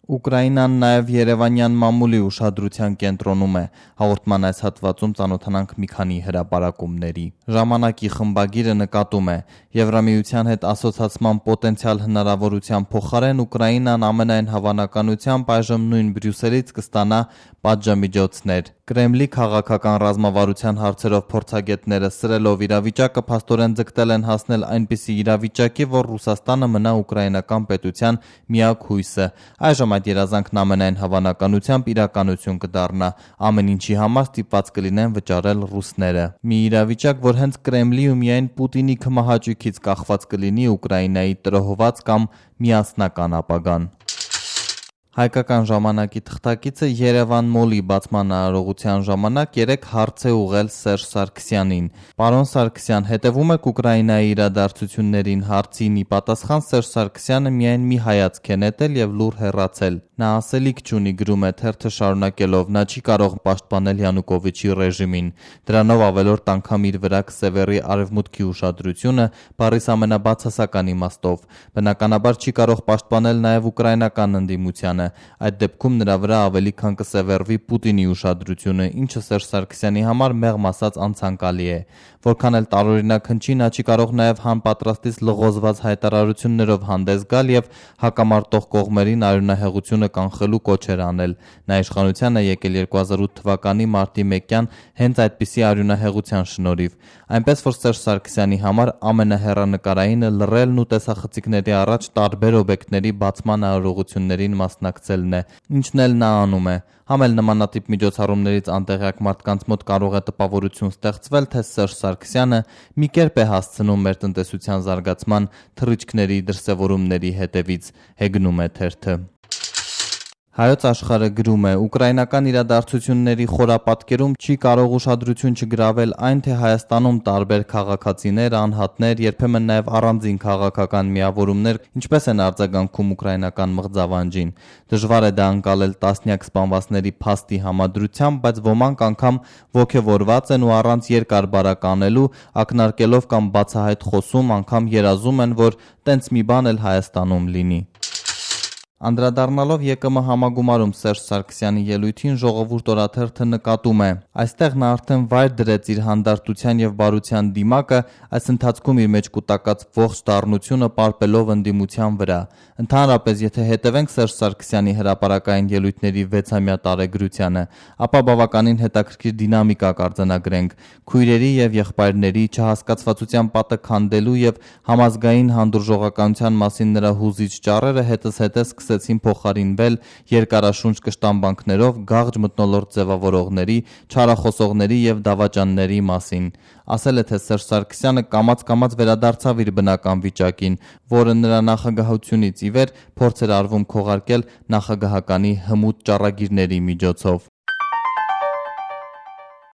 Ուկրաինան նաև երևանյան մամուլի ուշադրության կենտրոնում է։ Հաղորդման այս հատվածում ծանոթանանք մի քանի հրապարակումների։ Ժամանակի խմբագիրը նկատում է. Եվրամիության հետ ասոցացման պոտենցիալ հնարավորության փոխարեն Ուկրաինան ամենայն հավանականությամբ այժմ նույն Բրյուսելից կստանա պատժամիջոցներ։ Կրեմլի քաղաքական ռազմավարության հարցերով փորձագետները սրելով իրավիճակը փաստորեն ձգտել են հասնել այնպիսի իրավիճակի, որ Ռուսաստանը մնա ուկրաինական պետության միակ հույսը։ Այժմ այդ երազանքն ամենայն հավանականությամբ իրականություն կդառնա, ամեն ինչի համար ստիպված կլինեն վճարել ռուսները։ Մի իրավիճակ, որ հենց Կրեմլի ու միայն Պուտինի քմահաճույքից կախված կլինի Ուկրաինայի տրոհված կամ միասնական ապագան։ Հայկական ժամանակի թղթակիցը Երևան մոլի բացման արարողության ժամանակ 3 հարց է ուղղել Սերժ Սարգսյանին։ Պարոն Սարգսյան, հետևում եք Ուկրաինայի իրադարձություններին հարցին ի պատասխան Սերժ Սարգսյանը միայն մի հայացք է նետել եւ լուռ հեռացել։ Նա ասելիք չունի, գրում է թերթը շարունակելով, նա չի կարող պաշտպանել Յանուկովիչի ռեժիմին։ Դրանով ավելորդ անգամ իր վրա կսևեռի արևմուտքի ուշադրությունը բառիս ամենաբացասական իմաստով։ Բնականաբար չի կարող պաշտպանել նաև ուկրաինական ընդդիմությանը։ Այդ դեպքում նրա վրա ավելի քան կսևեռվի Պուտինի ուշադրությունը, ինչը Սերժ Սարգսյանի համար մեղմ ասած անցանկալի է։ Որքան էլ տարօրինակ հնչի, նա չի կարող նաև հանպատրաստից լղոզված հայտարարություններով հանդես գալ եւ հակամարտող կողմերին արյունահեղությունը կանխելու կոչեր անել։ Նա իշխանության է եկել 2008 թվականի մարտի 1-յան հենց այդպիսի արյունահեղության շնորհիվ։ Այնպես որ Սերժ Սարգսյանի համար ամենահեռանկարայինը լռելն ու տեսախցիկների առաջ տարբեր օբյեկտների բացման արարողություններին մասնակցելն է, ինչն էլ նա անում է։ Համ էլ նմանատիպ միջոցառումներից անտեղյակ մարդկանց մոտ կարող է տպավորություն ստեղծվել, թե Սերժ Սարգսյանը մի կերպ է հասցնում մեր տնտեսության զարգացման թռիչքների դրսևորումների հետևից, հեգնում է թերթը։ Հայոց աշխարհը գրում է. Ուկրաինական իրադարձությունների խորապատկերում չի կարող ուշադրություն չգրավել այն, թե Հայաստանում տարբեր քաղաքացիներ, անհատներ, երբեմն նաև առանձին քաղաքական միավորումներ ինչպես են արձագանքում ուկրաինական մղձավանջին։ Դժվար է դա անցալել տասնյակ սպանվածների փաստի համադրությամբ, բայց ոմանք անգամ ոգևորված են ու առանց երկար բարակ անելու, ակնարկելով կամ բացահայտ խոսում, անգամ երազում են, որ տենց մի բան էլ Հայաստանում լինի։ Անդրադառնալով ԵԿՄ համագումարում Սերժ Սարգսյանի ելույթին Ժողովուրդ օրաթերթը նկատում է. այստեղ նա արդեն վայր դրեց իր հանդարտության եւ բարության դիմակը, այս ընթացքում իր մեջ կուտակած ողջ դառնությունը պարպելով ընդդիմության վրա։ Ընդհանրապես, եթե հետևենք Սերժ Սարգսյանի հրապարակային ելույթների 6-ամյա տարեգրությանը, ապա բավականին հետաքրքիր դինամիկա կարձանագրենք։ Քույրերի եւ եղբայրների չհասկացվածության պատը քանդելու եւ համազգային հանդուրժողականության մասին նրա հուզիչ ճառերը հետզհետե սկսեցին փոխարինվել երկարաշունչ կշտամբանքներով գաղջ մթնոլորտ ձևավորողների, չարախոսողների եւ դավաճանների մասին։ Ասել է, թե Սերժ Սարգսյանը կամաց-կամաց վերադարձավ իր բնական վիճակին, որը նրա նախագահությունից ի վեր փորձ էր արվում քողարկել նախագահականի հմուտ ճառագիրների միջոցով։